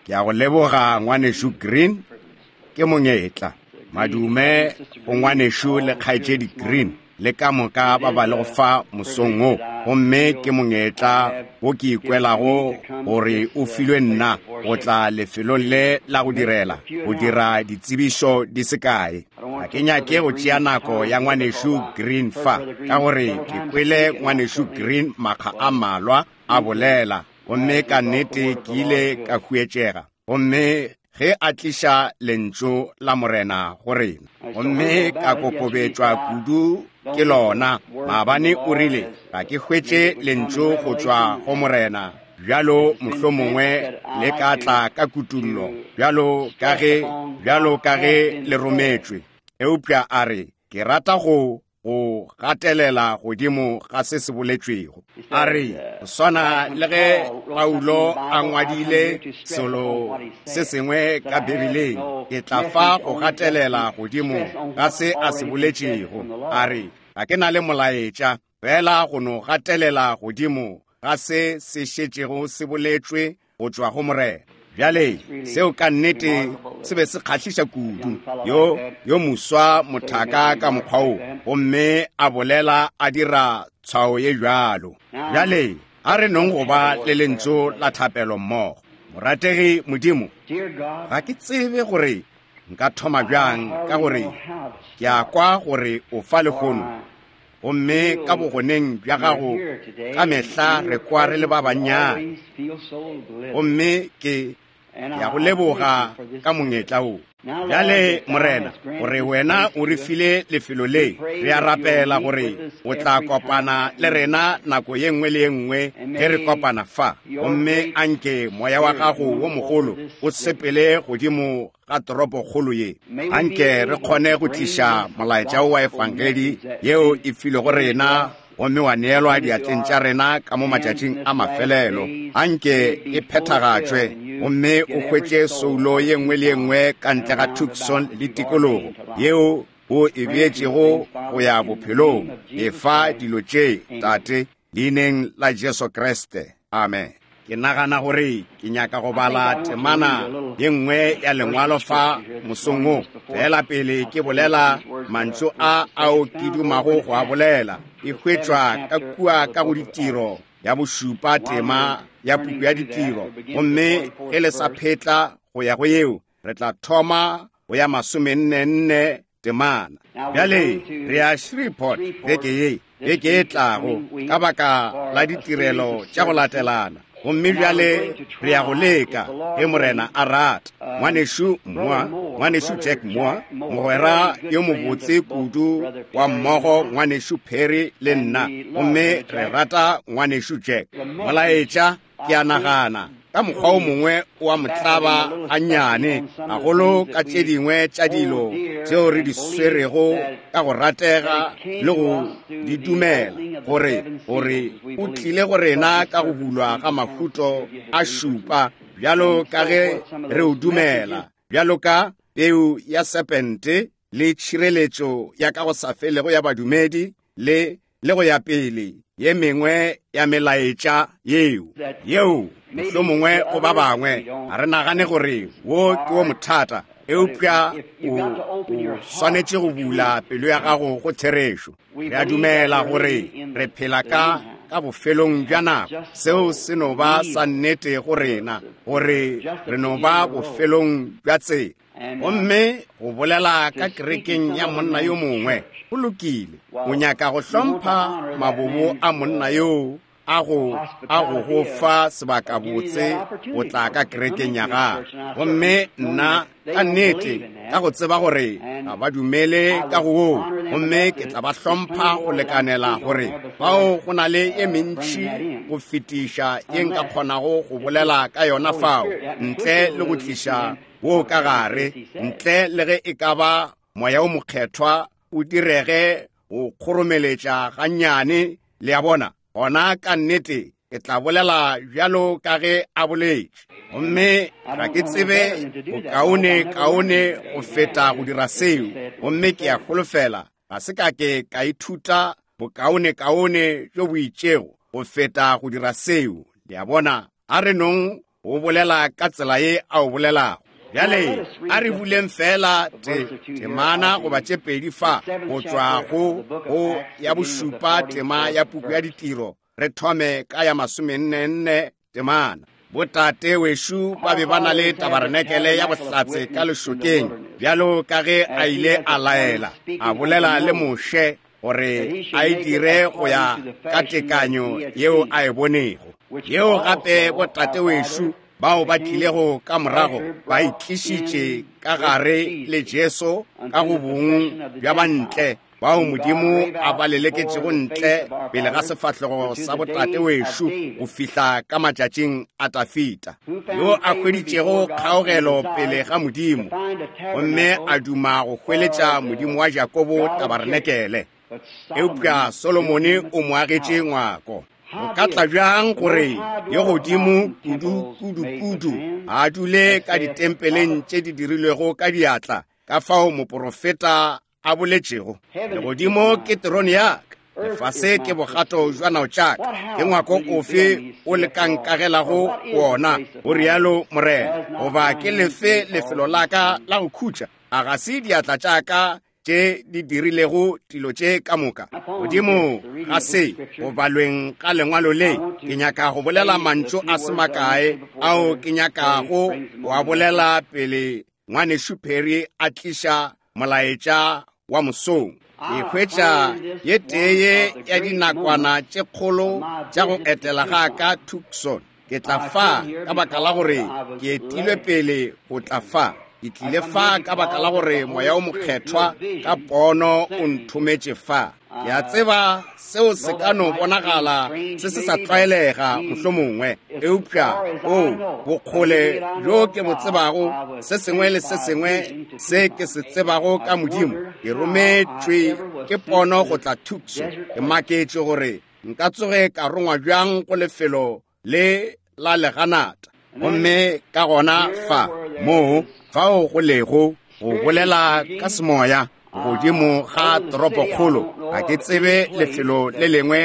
Ke a go leboga ngwanešu Green, ke mongetla. Madume go ngwanešu le kgaetšedi Green le ka moka ba ba lego fa mosong wo. Gomme ke mongetla wo ke ikwelago gore o filwe nna go tla lefelong le la go direla, go dira ditsebišo di se kae. Ga ke nyake go tšea nako ya ngwanešu Green fa, ka gore ke kwele ngwanešu Green makga a mmalwa a bolela, gomme ka nnete ke ile ka huetšega. Gomme ge a tliša lentšu la Morena go rena, gomme ka kokobetšwa kudu ke lona. Maabane o rile, ga ke hwetše lentšu go tšwa go Morena, bjalo mohlomongwe le ka tla ka kutullo, bjalo ka ge, bjalo ka ge le rometšwe. Eupša a re, ke rata go go gatelela godimo ga se se boletšwego. A re, go swana le ge Paulo a ngwadile selo se sengwe ka Bibeleng, ke tla fa go gatelela godimo ga se a se boletšego. A re, ga ke na le molaetša, fela go no gatelela godimo ga se se šetšego se boletšwe go tšwa go Morena. Bjale, seo ka nnete se be se kgahliša kudu, yo, yo moswa mothaka ka mokgwa wo, gomme a bolela a dira tshwao ye bjalo. Bjale, a re nong go ba le lentšu la thapelo mmogo. Morategi Modimo, ga ke tsebe gore nka thoma bjang, ka gore ke a kwa gore o fa lehono, gomme ka bogoneng bja gago ka mehla re kwa re le ba bannyane. Gomme ke ya go leboga ka mongetla wo. Bjale, Morena, gore wena o re file lefelo le, re a rapela gore o tla kopana le rena nako ye nngwe le ye nngwe ge re kopana fa. Gomme anke moya wa gago wo mogolo o sepele godimo ga toropokgolo ye. Anke re kgone go tliša molaetša wa Efangedi yeo e filwego rena gomme wa neelwa diatleng tša rena ka mo matšatšing a mafelelo. Anke e phethagatšwe gomme o hwetše soulo ye nngwe le ye nngwe ka ntle ga Tucson le tikologo yeo o e beetšego go ya bophelong. Efa dilo tše, Tate, Leineng la Jesu Kriste. Amen. Ke nagana gore ke nyaka go bala temana ye nngwe ya Lengwalo fa mosong wo, feela pele ke bolela mantšu a ao ke dumago go a bolela. E hwetšwa ka kua ka go Ditiro ya bošupa, tema ya puku ya Ditiro. Gomme ge le sa phetla go ya go yeo, re tla thoma go ya masomennenne temana. Bjale re ya Shreveport beke ye, beke e tlago, ka baka la ditirelo tša go latelana. Gomme bjale re ya go leka, ge Morena a rata. Ngwanešu Moore, Ngwanešu Jack Moore, mogwera yo mobotse kudu wa mmogo, Ngwanešu Perry le nna, gomme re rata Ngwanešu Jack. Molaetša Ke a nagana, ka mokgwa o mongwe o a mo tlaba gannyane, gagolo ka tše dingwe tša dilo tšeo re di swerego ka go ratega le go di dumela, gore, gore o tlile go rena ka go bulwa ga mahuto a šupa, bjalo ka ge re o dumela, bjalo ka peu ya serpente le tšhireletšo ya ka go sa felego ya badumedi, le le go ya pele, ye mengwe ya melaetša yeo, yeo mohlomongwe go ba bangwe ga re nagane gore wo ke wo mothata, eupša o, o swanetše go bula pelo ya gago go therešo. Re a dumela gore re phela ka, ka bofelong bja nako. Seo se no ba sa nnete go rena, gore re no ba bofelong bja tsela. Gomme go bolela ka kerekeng ya monna yo mongwe, go lokile, o nyaka go hlompha mabobo a monna yoo a go, a go go fa sebakabotse go tla ka kerekeng ya gagwe. Gomme nna, ka nnete, ka go tseba gore ga ba dumele ka go woo, gomme ke tla ba hlompha go lekanela gore fao go na le ye mentši go fetiša ye nka kgonago go bolela ka yona fao, ntle le go tliša wo ka gare, ntle le ge e ka ba Moya wo Mokgethwa o direge go kgoromeletša gannyane, le a bona, gona ka nnete ke tla bolela bjalo ka ge a boletše. Gomme ga ke tsebe bokaone kaone go feta go dira seo, gomme ke a holofela ga se ka ke ka ithuta bokaone kaone bjo bo itšego go feta go dira seo, le a bona. A re nong O bolela ka tsela ye a o bolelago. Bjale a re buleng feela te, temana goba tše pedi fa go tšwa go go ya bošupa tema ya puku ya ditiro, re thome ka ya masomennenne temana. Botate wešu ba be ba na le tabarenekele ya bohlatse ka lešokeng, bjalo ka ge a ile a laela, a bolela le Moshe gore a e dire go ya ka tekanyo yeo a e bonego, yeo gape botate wešu bao ba tlilego ka morago ba itlišitše ka gare le Jesu ka go bong bja bantle bao Modimo a ba leleketšego ntle pele ga sefahlego sa botate wešo go fihla ka matšatšing a Dafida, yo a hweditšego kgaogelo pele ga Modimo gomme a duma go hweletša Modimo wa Jakobo tabarenekele. Eupša Solomone o mo agetše ngwako. Go ka tla bjang gore yo godimo kudu kudu kudu a dule ka ditempeleng tše di dirilwego ka diatla, ka fao moporofeta a boletšego? Legodimo ke terone ya ka, lefase ke bogato jwa nao tša ka. Ke ngwako ofe o le ka nkagelago wona? O rialo Morena. Goba ke lefe lefelo la ka la go khutša? A ga se diatla tša ka tše di dirilego dilo tše ka moka? Godimo ga se go balweng ga lengwalo le, ke nyaka go bolela mantšu a se makae ao ke nyakago go a bolela pele Ngwanešu Perry a tliša molaetša wa mosong. Ke hwetša ye tee ye ya dinakwana tše kgolo tša go etela ga ka Tucson. Ke tla fa ka baka la gore ke etilwe pele go tla fa. Ke tlile fa ka baka la gore Moya o Mokgethwa ka pono o nthometše fa. Ke a tseba seo se ka no bonagala se se sa tlwaelega mohlomongwe, eupša o bokgole bjo ke bo tsebago, se sengwe le se sengwe se ke se tsebago ka Modimo, ke rometšwe ke pono go tla Tucson. Ke maketše gore nka tsoge ka rongwa bjang go lefelo le la leganata. Gomme ka gona fa, moo fao go lego go bolela ka semoya godimo ga toropokgolo, ga ke tsebe lefelo le lengwe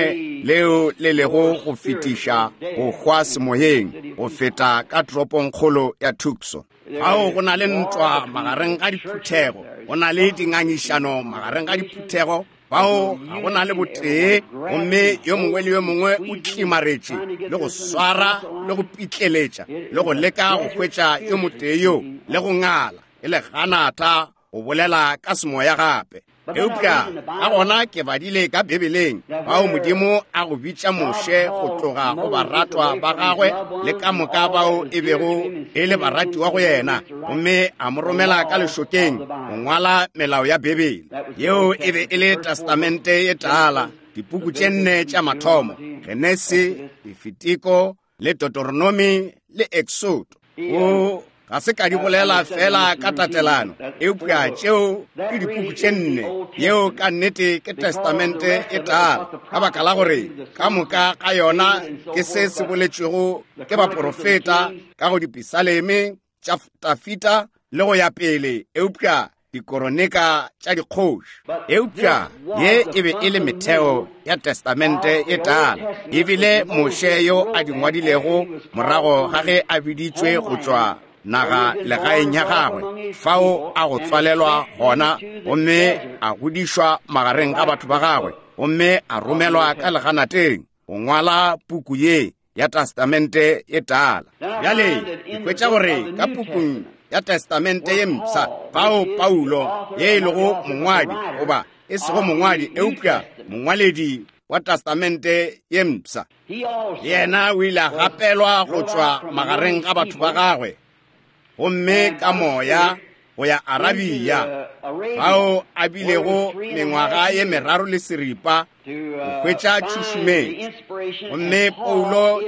leo le lego go fetiša go hwa semoyeng go feta ka toropongkgolo ya Tucson. Fao go na le ntwa magareng ga diphuthego, go na le dingangišano magareng ga diphuthego, bao ga go na le botee, gomme yo mongwe le yo mongwe o tlimaretše le go swara le go pitleletša le go leka go hwetša yo motee yo le go ngala e le ganata go bolela ka semoya gape. Eupša ka gona ke badile ka Bibeleng bao Modimo a go bitša Moshe go tloga go baratwa ba gagwe le ka moka bao e bego e le baratiwa go yena, gomme a mo romela ka lešokeng go ngwala melao ya Bibele. Yeo e be e le Testamente ye Tala, dipuku tše nne tša mathomo, Genesi, Lefitiko, le Deuteronomy le Exodo. O ga se ka di bolela fela ka tatelano, eupša tšeo ke dipuku tše nne. Yeo ka nnete ke Testamente e Tala, ka baka la gore ka moka ga yona ke se se boletšwego ke baporofeta ka go dipisaleme tša Dafida le go ya pele, eupša dikoronika tša dikgoši. Eupša ye e be e le metheo ya Testamente e Tala, ebile Moshe yo a di ngwadilego morago ga ge a biditšwe go tšwa naga legaeng ya gagwe, fao a go tswalelwa gona, gomme a godišwa magareng ga batho ba gagwe, gomme a romelwa ka leganateng go ngwala puku ye ya Testamente ye Tala. Bjale ke hwetša gore ka pukung ya Testamente ye Mpsha, fao Paulo, ye e lego mongwadi, goba e sego mongwadi, eupša mongwaledi wa Testamente ye Mpsha, yena o ile a gapelwa go tšwa magareng ga batho ba gagwe, gomme ka moya go ya Arabia, fao a bilego mengwaga ye meraro le seripa go hwetša tšhušumetšo. Gomme Paulo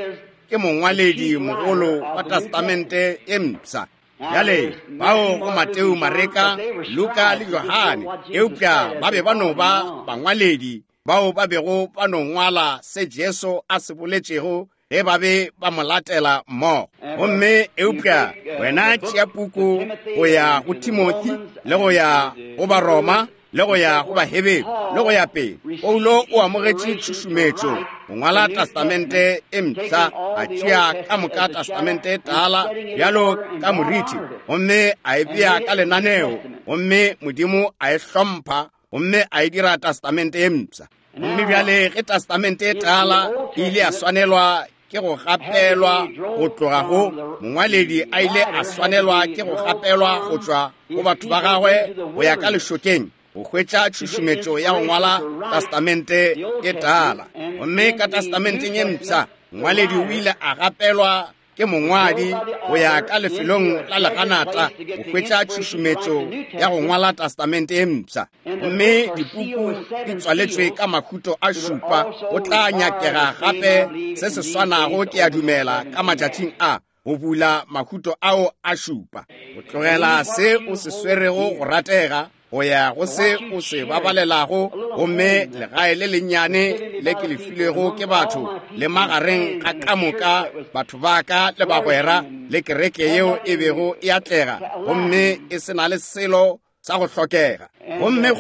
ke mongwaledi mogolo wa Testamente ye Mpsha. Bjale, bao go Mateo, Mareka, Luka le Johane, eupša ba be ba no ba bangwaledi bao ba bego ba no ngwala se Jesu a se boletšego ge ba be ba mo latela mmogo. Gomme eupša wena tšea puku go ya go Timothy le go ya go Baroma, le go ya go Baheberu, le go ya pele. Paulo o amogetše tšhušumetšo go ngwala Testamente e Mpsha, a tšea ka moka Testamente e Tala bjalo ka moriti, gomme a e bea ka lenaneo, gomme Modimo a e hlompha gomme a e dira Testamente e Mpsha. Gomme bjale ge Testamente e Tala e ile ya swanelwa ke go gapelwa go tloga go mongwaledi, a ile a swanelwa ke go gapelwa go tšwa go batho ba gagwe go ya ka lešokeng go hwetša tšhušumetšo ya go ngwala Testamente e Tala. Gomme ka Testamenteng e Mpsha, mongwaledi o ile a gapelwa ke mongwadi go ya ka lefelong la leganata go hwetša tšhušumetšo ya go ngwala Testamente e Mpsha. Gomme dipuku di tswaletšwe ka mahuto a šupa. Go tla nyakega gape se se swanago, ke a dumela, ka matšatšing a, go bula mahuto ao a šupa, go tlogela se o se swerego go ratega go ya go se o se babalelago. Gomme legae le lennyane le ke le filwego ke batho, le magareng ga ka moka batho ba ka le bagwera le kereke yeo e bego e atlega gomme e se na le selo sa go hlokega, gomme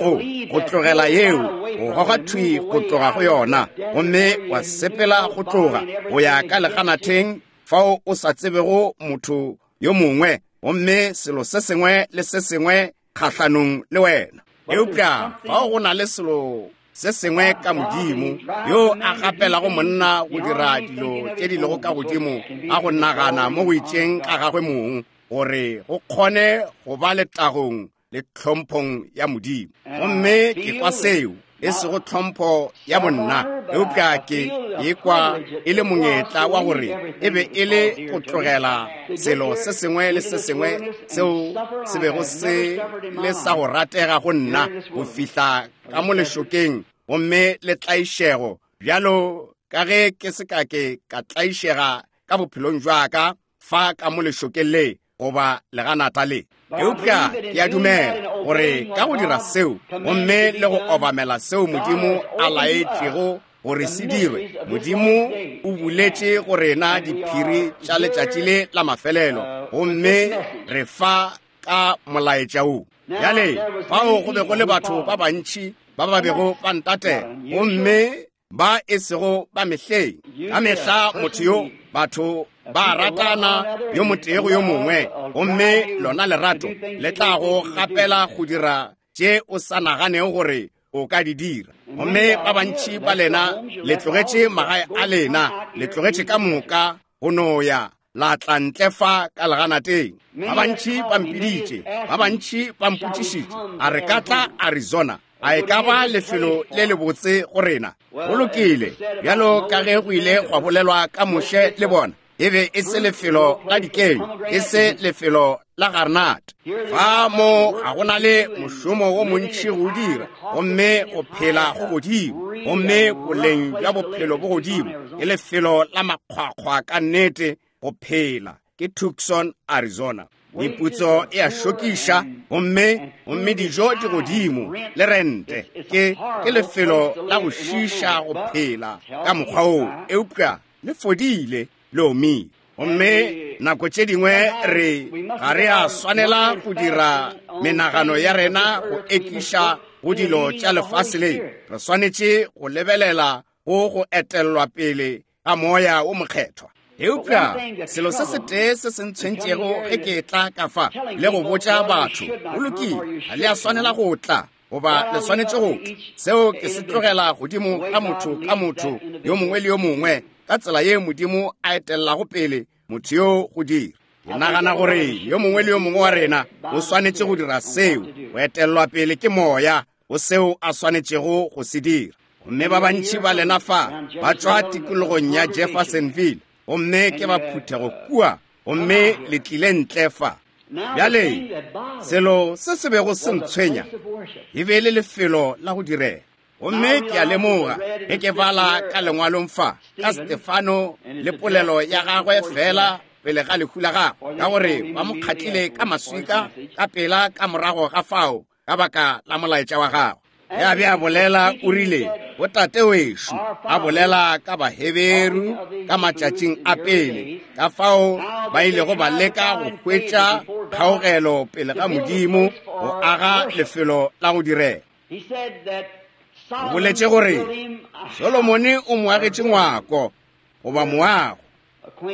go tlogela yeo, go goga thwi go tloga go yona, gomme wa sepela go tloga go ya ka leganatheng fao o sa tsebego motho yo mongwe, gomme selo se sengwe le se sengwe kgahlanong le wena. Eupša fao go na le selo se sengwe ka Modimo yo a gapelago monna go dira dilo tše di lego ka godimo ga go nagana mo go itšeng ga gagwe mong, gore go kgone go ba letagong le tlhomphong ya Modimo. Gomme ke kwa seo, e sego tlhompho ya bonna, eupša ke ekwa e le mongetla wa gore e be e le go tlogela selo se sengwe le se sengwe seo se bego se le sa go ratega go nna, go fihla ka mo lešokeng gomme le tlaišego, bjalo ka ge ke se ka ke ka tlaišega ka bophelong jwa ka fa ka mo lešokeng le goba leganata le. Eupša ke a dumela gore ka go dira seo gomme le go obamela seo Modimo a laetšego gore se dirwe, Modimo o buletše go rena diphiri tša letšatši le la mafelelo, gomme re fa ka molaetša wo. Bjale fao go be go le batho ba bantši ba ba bego ba ntatela, gomme ba e sego ba mehleng. Ka mehla motho yo, batho ba ratana yo motee go yo mongwe, gomme lona lerato le tla go gapela go dira tše o sa naganego gore o ka di dira. Gomme ba bantši ba lena le tlogetše magae a lena, le tlogetše ka moka go no ya la tla ntle fa ka leganateng. Ba bantši ba mpiditše, ba bantši ba mpotšišitše, a re ka tla Arizona? A e ka ba lefelo le lebotse go rena? Go lokile, bjalo ka ge go ile gwa bolelwa ka Moshe le bona, e be e se lefelo la dikenyo, e se lefelo la garnat. Fa mo ga go na le mošomo wo montši go dira, gomme go phela go godimo, gomme boleng bja bophelo bo godimo. Ke lefelo la makgwakgwa ka nnete go phela. Ke Tucson, Arizona. Meputso e a šokiša, gomme dijo di godimo, le rente. Ke lefelo la go šiša go phela ka mokgwa woo, eupša le fodile, le omile. Gomme nako tše dingwe re ga re a swanela go dira menagano ya rena go ekiša go dilo tša lefase le. Re swanetše go lebelela go go etellwa pele ga Moya wo Mokgethwa. Eupša selo se setee se se ntshwentšego ge ke tla ka fa le go botša batho, go lokile, ga le a swanela go tla, goba le swanetše go tla. Seo ke se tlogela godimo ga motho ka motho yo mongwe le yo mongwe, ka tsela ye Modimo a etellago pele motho yo go dira. Ke nagana gore yo mongwe le yo mongwe wa rena o swanetše go dira seo, go etellwa pele ke Moya go seo a swanetšego go se dira. Gomme ba bantši ba lena fa ba tšwa tikologong ya Jeffersonville, gomme ke ba phuthego kua, gomme le tlile ntle fa. Bjale, selo se se bego se ntshwenya e be e le lefelo la go direla. Gomme ke a lemoga ge ke bala ka lengwalong fa ka Stefano le polelo ya gagwe fela pele ga lehu la gagwe, ka gore ba mo kgatlile ka maswika ka pela ka morago ga fao ka baka la molaetša wa gagwe. Ge a be a bolela, o rile, Botate wešo, a bolela ka Baheberu ka matšatšing a pele, ka fao ba ilego ba leka go hwetša kgaogelo pele ga Modimo go aga lefelo la go direla. O boletše gore Solomone o mo agetše ngwako goba moago.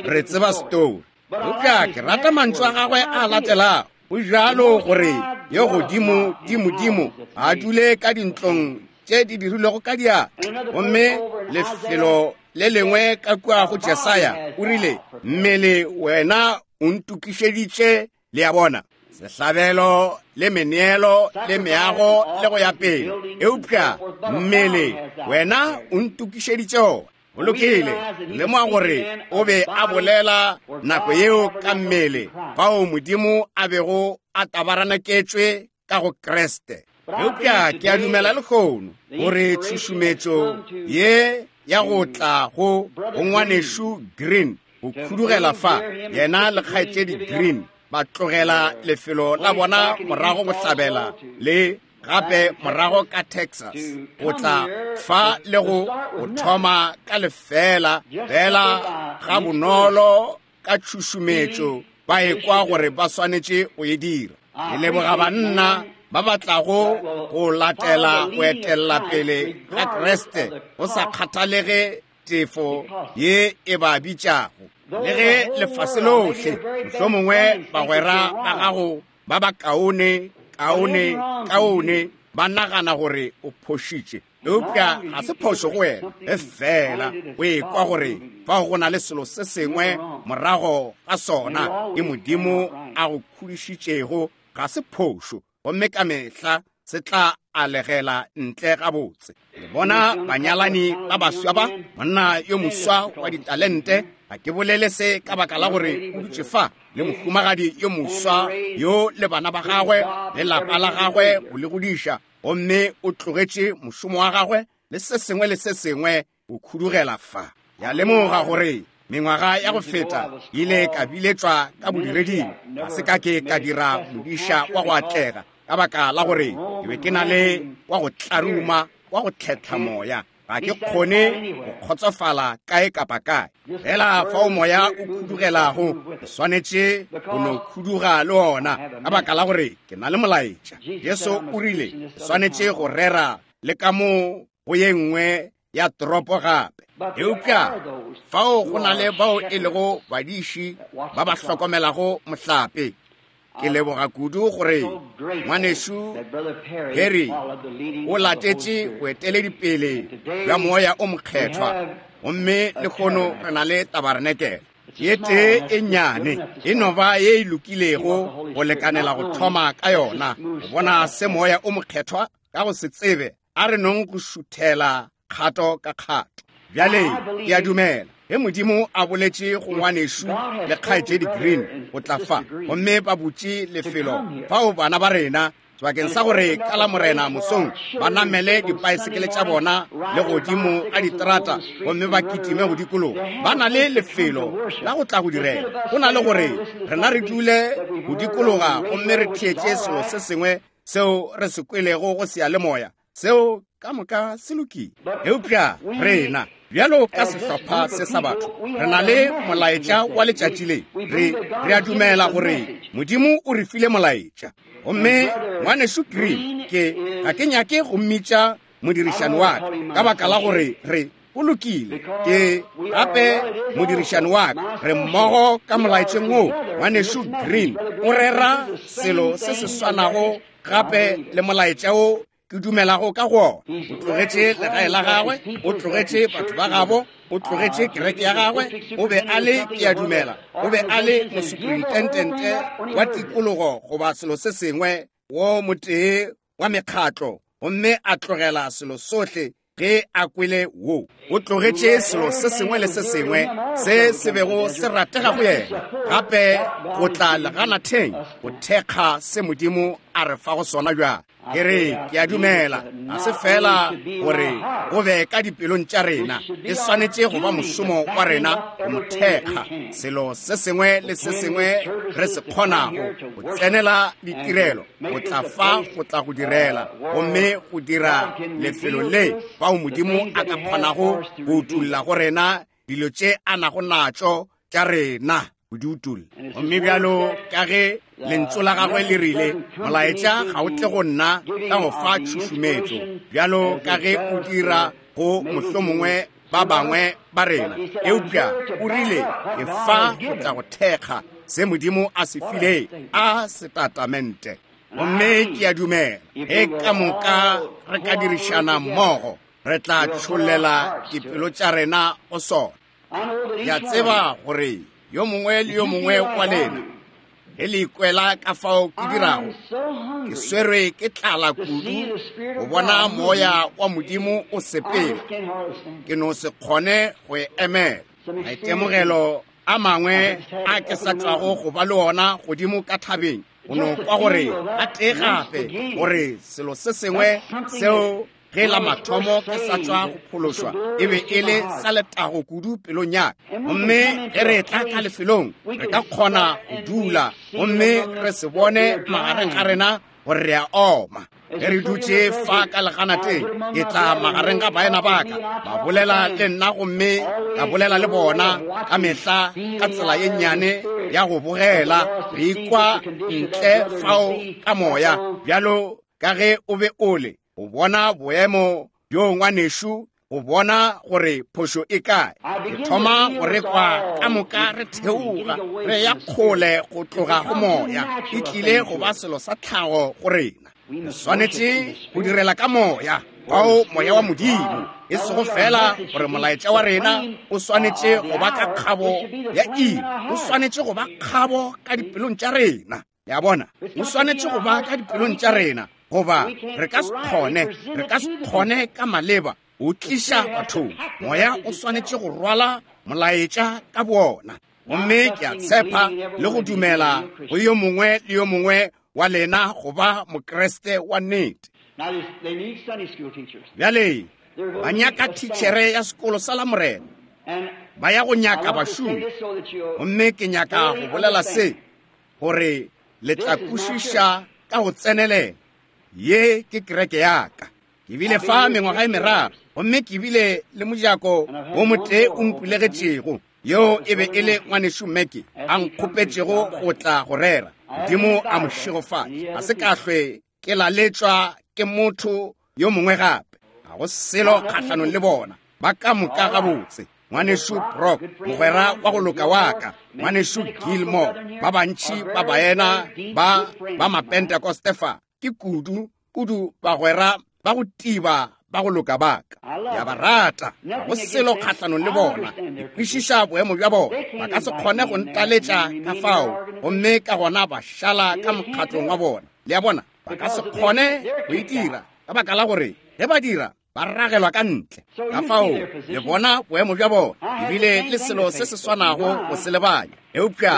Re tseba setori. Eupša ke rata mantšu a gagwe a latelago. Go bjalo gore yo godimo dimodimo a dule ka dintlong tše di dirilwego ka diatla. Gomme lefelo le lengwe ka kua go Jesaya o rile, mmele wena o ntokišeditše, le a bona, sehlabelo le meneelo le meago le go ya pele, eupša mmele wena o ntokišeditše ona. Go lokile, lemoga gore o be a bolela nako yeo ka mmele fao Modimo a bego a tabaranaketšwe ka go Kriste. Eupša ke a dumela lehono gore tšhušumetšo ye ya go tla go go ngwanešu Green go khudugela fa, yena le kgaetšedi Green ba tlogela lefelo la bona morago bohlabela le gape morago ka Texas go tla fa le go go thoma ka lefela fela ga bonolo ka tšhušumetšo ba ekwa gore ba swanetše go e dira. Ke leboga banna ba ba tlago go latela go etella pele ga Kriste go sa kgathalege tefo ye e ba bitšago. Le ge lefase lohle, mohlomongwe bagwera ba gago ba ba kaone kaone kaone ba nagana gore o phošitše, eupša ga se phošo go wena, e fela o ekwa gore fao go na le selo se sengwe morago ga sona ke Modimo a go khudišitšego. Ga se phošo, gomme ka mehla se tla alegela ntle gabotse. Le bona banyalani ba baswa ba, monna yo moswa wa ditalente, ga ke bolele se ka baka la gore o dutše fa le mohumagadi yo moswa yo le bana ba gagwe le lapa la gagwe go le godiša, gomme o tlogetše mošomo wa gagwe le se sengwe le se sengwe go khudugela fa. Ya lemoga gore mengwaga ya go feta ile ka biletšwa ka bodireding, ga se ka ke ka dira modiša wa go atlega ka baka la gore ke be ke na le wa go tlaruma wa go tlhetla moya. Ga ke kgone go kgotsofala kae kapa kae. Fela fao moya o khudugelago, ke swanetše go no khuduga le ona ka baka la gore ke na le molaetša. Jesu o rile ke swanetše go rera le ka mo go ye nngwe ya toropo gape. Eupša fao go na le bao e lego badiši ba ba hlokomelago mohlape. Ke leboga kudu gore ngwanešu Harry o latetše boeteledipele bja moya o mokgethwa, gomme lehono re na le tabarenekele ye tee e nnyane, e no ba ye e lokilego go lekanela go thoma ka yona, go bona se moya o mokgethwa ka go se tsebe a re nong go šuthela kgato ka kgato. Bjale ke a dumela ge Modimo a boletše go ngwanešu le kgaetšedi Green go tla fa, gomme ba butše lefelo fao bana ba rena sebakeng sa gore ka la Morena mosong ba namele dipaesekele tša bona le godimo ga diterata gomme ba kitime go dikologa, ba na le lefelo la go tla go direla go na le gore rena re dule go dikologa gomme re theetše selo se sengwe seo re se kwelego go seyalemoya. Seo ka moka se lokile. Eupša rena bjalo ka sehlopha se sa batho re na le molaetša wa letšatši le. Re a dumela gore Modimo o re file molaetša. Gomme ngwanešu Green, ke ga ke nyake go mmitša modirišani wa ka ka baka la gore re go lokile, ke gape modirišani wa ka, re mmogo ka molaetšeng wo. Ngwanešu Green o rera selo se se swanago gape le molaetša wo ke dumelago ka go ona. O tlogetše legae la gagwe, o tlogetše batho ba gabo, o tlogetše kereke ya gagwe. O be a le, ke a dumela, o be a le mosuprintentente wa tikologo goba selo se sengwe, wo motee wa mekgatlo, gomme a tlogela selo sohle ge a kwele wo. O tlogetše selo se sengwe le se sengwe se se bego se ratega go yena, gape go tla leganatheng go thekga se Modimo a re fago sona bjale. Ke re, ke a dumela ga se fela gore go be ka dipelong tša rena, e swanetše go ba mošomo wa rena go mo thekga selo se sengwe le se sengwe re se kgonago, go tsenela ditirelo, go tla fa, go tla go direla, gomme go dira lefelo le fao Modimo a ka kgonago go utulla go rena dilo tše a nago natšo tša rena. go di utolla. Gomme bjalo ka ge Lentšu la Gagwe le rile, Molaetša ga o tle go nna ka go fa tšhušumetšo, bjalo ka ge o dira go mohlomongwe ba bangwe ba rena, eupša o rile, Ke fa go tla go thekga se Modimo a se fileng a setatamente. Gomme ke a dumela ge ka moka re ka dirišana mmogo, re tla tšhollela dipelo tša rena go sona. Ke a tseba gore yo mongwe le yo mongwe wa lena ge le ikwela ka fao ke dirago, ke swerwe ke tlala kudu go bona moya wa Modimo o sepela, ke no se kgone go e emela. Maitemogelo a mangwe a ke sa tšwago go ba le ona godimo ka thabeng, go no kwa gore a tee gape gore selo se sengwe seo ge la mathomo ke sa tšwa go phološwa e be e le sa letago kudu pelong ya ka. Gomme ge re etla ka lefelong, re ka kgona go dula gomme re se bone magareng ga rena gore re a oma. Ge re dutše fa ka leganateng, ke tla magareng ga baena ba ka, ba bolela le nna gomme ka bolela le bona ka mehla ka tsela ye nnyane ya go bogela, re ikwa ntle fao ka moya, bjalo ka ge o be o le, go bona boemo bjo ngwanešu, go bona gore phošo e kae. Ke thoma go re kwa ka moka re theoga, re ya kgole go tloga go moya. E tlile go ba selo sa tlhago go rena. Re swanetše go direla ka moya, fao moya wa Modimo, e sego fela gore molaetša wa rena o swanetše go ba ka kgabo ya iri, o swanetše go ba kgabo ka dipelong tša rena. Le a bona, o swanetše go ba ka dipelong tša rena, goba re ka se kgone, re ka se kgone ka maleba o tliša bathong. Moya o swanetše go rwala molaetša ka boona. Gomme ke a tshepa le go dumela go yo mongwe le yo mongwe wa lena go ba Mokriste wa nnete. Bjale, ba nyaka thitšhere ya sekolo sa Lamorena, ba ya go nyaka bašomi. Gomme ke nyaka go bolela se, gore le tla kwešiša ka go tsenelela. Ye ke kereke ya ka. Ke bile fa mengwaga e meraro, gomme ke bile le mojako wo motee o mpulegetšego, yeo e be e le ngwanešu Mackey a nkgopetšego go tla go rera. Modimo a mo šegofatše. Ga se ka hlwe ke laletšwa ke motho yo mongwe gape. Ga go selo kgahlanong le bona, ba ka moka gabotse. Ngwanešu Brock, mogwera wa go loka wa ka, Ngwanešu Gilmore, ba bantši ba baena ba ba Mapentekoste fa, ke kudu, kudu bagwera ba go tiba ba go loka ba ka. Ke a ba rata, ga go selo kgahlanong le bona. Ke kwešiša boemo bja bona. Ba ka se kgone go ntaletša ka fao, gomme ka gona ba šala ka mokgatlong wa bona. Le a bona, ba ka se kgone go e dira, ka baka la gore ge ba dira, ba ragelwa ka ntle. Ka fao le bona boemo bja bona, ebile le selo se se swanago go se lebanya. Eupša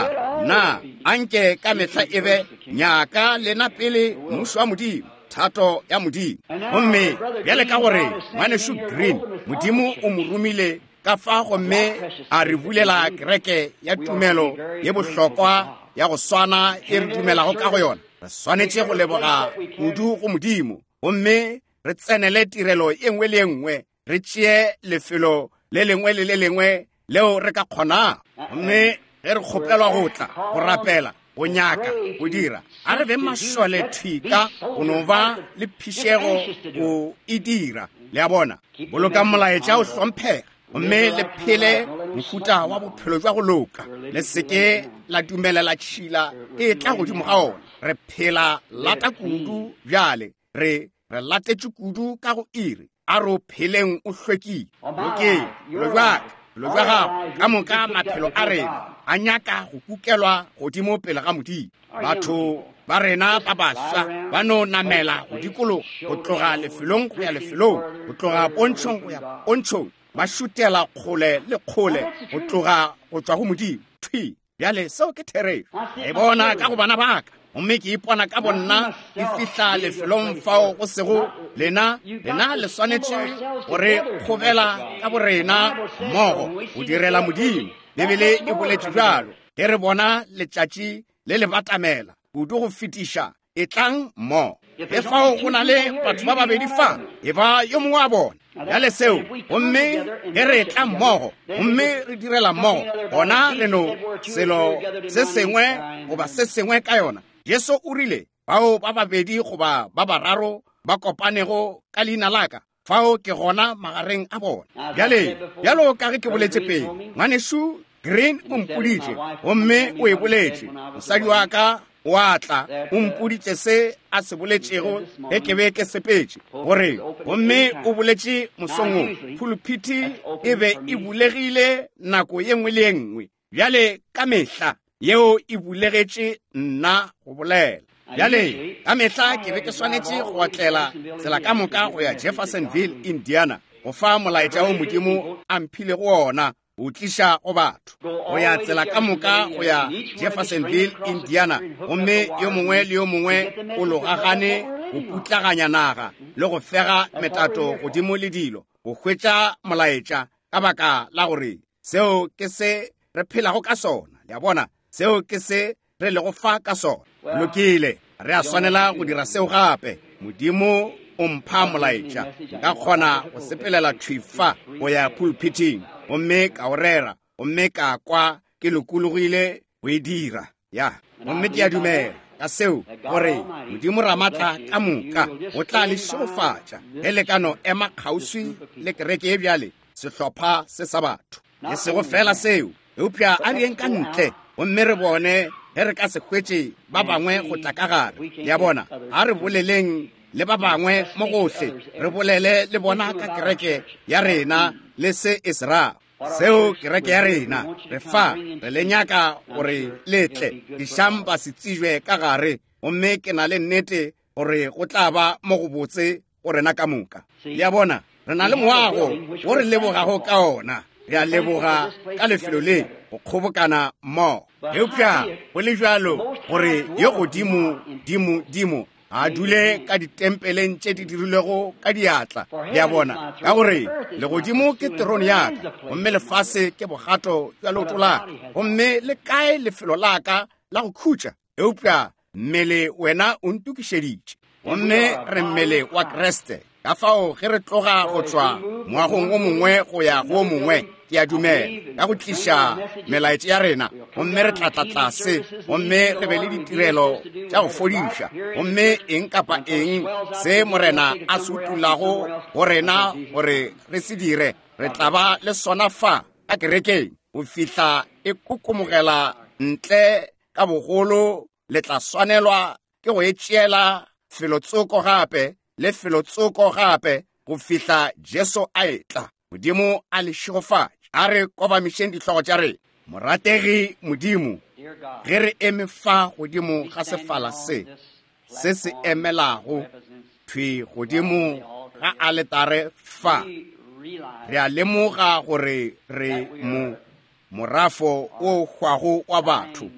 na anke ka mehla e be nyaka lena pele mmušo wa Modimo, thato ya Modimo. Gomme bjale ka gore Ngwanešu Green, Modimo o mo romile ka fa gomme a re bulela kereke ya tumelo ye bohlokwa ya go swana e re dumelago ka go yona, re swanetše go leboga kudu go Modimo gomme re tsenele tirelo ye nngwe le ye nngwe, re tšee lefelo le lengwe le le lengwe leo re ka kgonago. Gomme ge re kgopelwa go tla, go rapela, go nyaka, go dira, a re beng mašole thwi ka go no ba le phišego go e dira. Le a bona? Bolokang molaetša o hlomphega, gomme le phele mohuta wa bophelo jwa go loka. Le se ke la dumelela tšhila e tla godimo ga ona. Re phela lata kudu bjale, re re latetše kudu ka go iri. A re o pheleng o hlwekile. Lokeng, bophelo bja ka, bophelo bja gago, ka moka maphelo a rena a nyaka go kukelwa godimo pele ga Modimo. Batho ba rena ba baswa ba no namela go dikologa, go tloga lefelong go ya lefelong, go tloga pontšhong go ya pontšhong, ba šutela kgole le kgole go tloga go tšwa go Modimo. Thwi bjale, seo ke therešo. Ke e bona ka go bana ba ka, gomme ke ipona ka bonna ke fihla lefelong fao go sego lena. Lena le swanetše go re kgobela ka borena mmogo go direla Modimo. Bibele e boletše bjalo. Ge re bona letšatši le le batamela kudu go fetiša, Etlang mmogo. Ge fao go na le batho ba babedi fa, e ba yo mongwe wa bona. Bjale seo, gomme ge re etla mmogo gomme re direla mmogo, gona re no selo se sengwe goba se sengwe ka yona. Jesu o rile, Bao ba babedi goba ba bararo ba kopanego ka leina la ka, fao ke gona magareng a bona. Bjale, bjalo ka ge ke boletše pele, Ngwanešu Green o mpoditše, gomme o e boletše, mosadi wa ka o a tla, o mpoditše se a se boletšego ge ke be ke sepetše, gore, gomme o boletše mosong wo, phuluphithi e be e bulegile nako ye nngwe le ye nngwe. Bjale, ka mehla yeo e bulegetše nna go bolela. Bjale, ka mehla ke be ke swanetše go otlela tsela ka moka go ya Jeffersonville, Indiana, go fa molaetša wo Modimo a mphilego wona, go tliša go batho, go ya tsela ka moka go ya Jeffersonville, Indiana, gomme yo mongwe le yo mongwe o logagane go putlaganya naga le go fega metato godimo le dilo, go hwetša molaetša, ka baka la gore seo ke se re phelago ka sona. Le a bona, seo ke se re lego fa ka sona. Lokile, re a swanela go dira seo gape. Modimo o mpha molaetša, nka kgona go sepelela thwi fa go ya pulpithing gomme ka o rera, gomme ka kwa ke lokologile go e dira. Ya, gomme ke a dumela ka seo, gore Modimo Ramatla ka moka o tla le šegofatša ge le ka no ema kgauswi le kereke ye bjale, sehlopha se sa batho. E sego fela seo, eupša a re yeng ka ntle gomme re bone ge re ka se hwetše ba bangwe go tla ka gare. Le a bona? A re boleleng le ba bangwe mo gohle, re bolele le bona ka kereke ya rena le se e se rago. Seo kereke ya rena, re fa, re le nyaka gore le tle. Dišang ba se tsijwe ka gare, gomme ke na le nnete gore go tla ba mo go botse go rena ka moka. Le a bona, re na le moago wo re lebogago ka ona. Re a leboga ka lefelo le go kgobokana mmogo. Eupša go le bjalo gore yo godimo dimo dimo a dule ka ditempeleng tše di dirilwego ka diatla. Le a bona, ka gore legodimo ke terone ya ka, gomme lefase ke bogato bja leoto la ka, gomme le kae lefelo la ka la go khutša? Eupša mmele wena o ntokišeditše, gomme re mmele wa Kriste. Ka fao ge re tloga go tšwa moagong o mongwe go ya go o mongwe, ke a dumela, ka go tliša melaetša ya rena, gomme re tla tla tlase gomme re be le ditirelo tša go fodiša, gomme eng kapa eng se Morena a se utulago go rena gore re se dire, re tla ba le sona fa ka kerekeng go fihla e kokomogela ntle ka bogolo. Le tla swanelwa ke go e tšeela felotsoko gape le felotsoko gape go fihla Jesu a etla. Modimo a le šegofatše. A re kobamišeng dihlogo tša rena. Morategi Modimo, ge re eme fa godimo ga sefala se, se se emelago thwi godimo ga aletare fa, re a lemoga gore re mo morafo o hwago wa batho,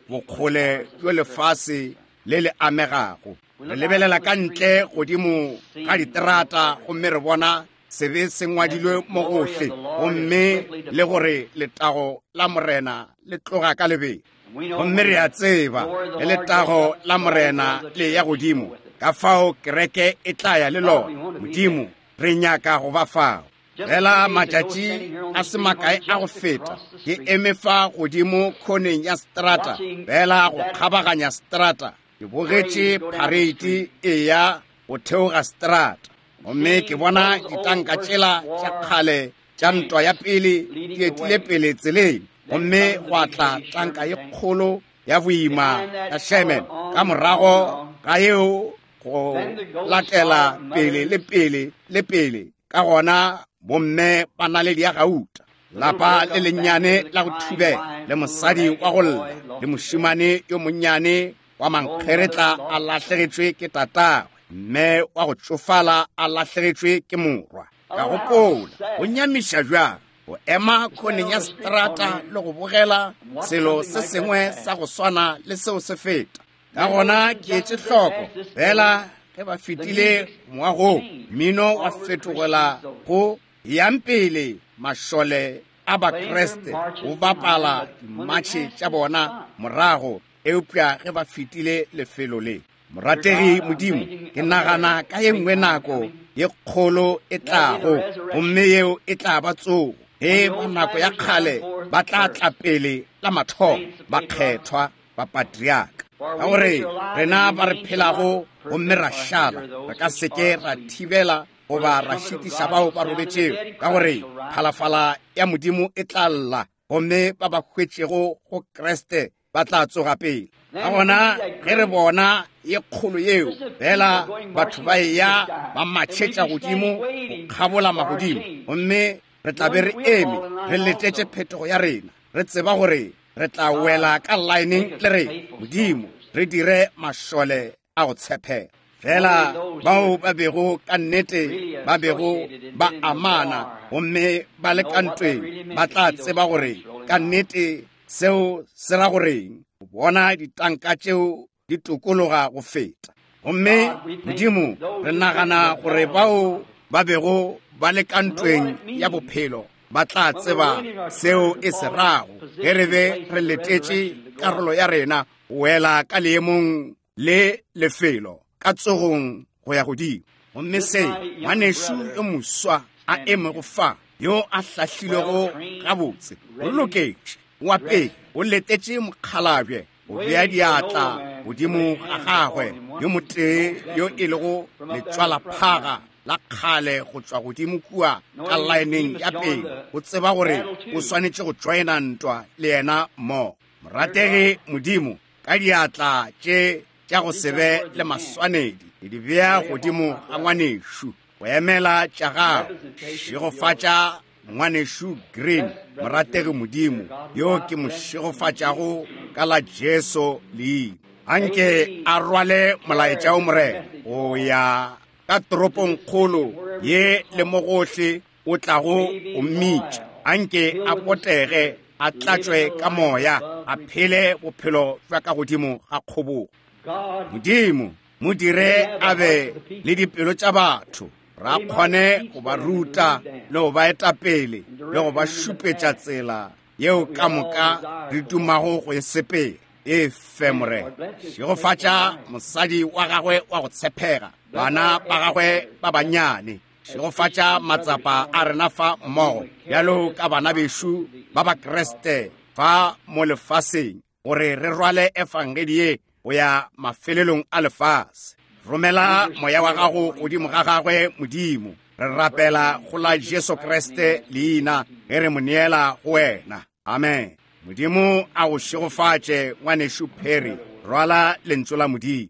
bokgole bjo lefase le le amegago. Re lebelela ka ntle godimo ga diterata gomme re bona sebe se ngwadilwe mo gohle, gomme le gore letago la Morena le tloga ka lebelo. Gomme re a tseba ge letago la Morena le ya godimo, ka fao kereke e tla ya le lona. Modimo, re nyaka go ba fao. Fela matšatši a se makae a go feta, ke eme fa godimo khoneng ya strata, fela go kgabaganya strata, ke bogetše phareiti e ya go theoga strata, gomme ke bona ditanka tšela tša kgale tša ntwa ya pele di etile pele tseleng, gomme gwa tla tanka ye kgolo ya boima ya Sherman ka morago ga yeo go latela pele le pele le pele. Ka gona bomme ba naledi ya gauta, lapa le lennyane la go thubela, le mosadi wa go lla, le mošemane yo monnyane wa mankgeretla a lahlegetšwe ke tatagwe, mme wa go tšofala a lahlegetšwe ke morwa. Ka gopola, go nyamiša bjang go ema khoneng ya seterata le go bogela selo se sengwe sa go swana le seo se feta. Ka gona ke etše hloko fela ge ba fetile moagong, mmino wa fetogela go yang pele mašole a Bakriste go bapala dimatšhe tša bona morago, eupša ge ba fetile lefelo le. Morategi Modimo, ke nagana ka ye nngwe nako ye kgolo e tlago, gomme yeo e tla ba tsogo, ge ba nako ya kgale ba tla tla pele la mathomo, bakgethwa, bapatriaka. Ka gore rena ba re phelago gomme ra šala, re ka se ke ra thibela goba ra šitiša bao ba robetšego, ka gore phalafala ya Modimo e tla lla, gomme ba ba hwetšego go Kriste ba tla tsoga pele. Ka gona ge re bona ye kgolo yeo, fela batho ba eya ba matšhetša godimo go kgabola magodimo, gomme re tla be re eme re letetše phetogo ya rena, re tseba gore re tla wela ka laeneng le re, Modimo, re dire mašole a go tshepega. Fela bao ba bego ka nnete ba bego ba amana gomme ba le ka ntweng ba tla tseba gore ka nnete seo se ra goreng, go bona ditanka tšeo di tokologa go feta. Gomme Modimo, re nagana gore bao ba bego ba le ka ntweng ya bophelo ba tla tseba seo e se rago ge re be re letetše karolo ya rena go wela ka leemong le lefelo ka tsogong go ya godimo. Gomme se ngwanešu yo moswa a emego fa, yo a hlahlilwego gabotse, o loketše wa pele, o letetše mokgalabje go bea diatla godimo ga gagwe, yo motee yo e lego letšwalaphaga la kgale go tšwa godimo kua ka laeneng ya pele, o tseba gore o swanetše go tšoena ntwa le yena mmogo. Morategi Modimo, ka diatla tše tša go se be le maswanedi, ke di bea godimo ga ngwanešu go emela tša gago. Šegofatša ngwanešu Green, morategi Modimo, yo ke mo šegofatšago ka la Jesu leina. Anke a rwale molaetša o Morena go ya ka toropongkgolo ye le mo gohle o tlago go mmitša. Anke a potege, a tlatšwe ka moya, a phele bophelo bja ka godimo ga kgobogo. Modimo, mo dire a be le dipelo tša batho, ra kgone go ba ruta le go ba eta pele le go ba šupetša tsela yeo ka moka re dumago go e sepela. E fe, Morena. Šegofatša mosadi wa gagwe wa go tshepega, bana ba gagwe ba bannyane. Šegofatša matsapa a rena fa mmogo bjalo ka bana bešo ba Bakriste fa mo lefaseng, gore re rwale efangedi ye go ya mafelelong a lefase. Romela moya wa gago godimo ga gagwe, Modimo. Re rapela go la Jesu Kriste leina ge re mo neela go wena. Amen. Modimo a go šegofatše, ngwanešu Perry. Rwala lentšu la Modimo.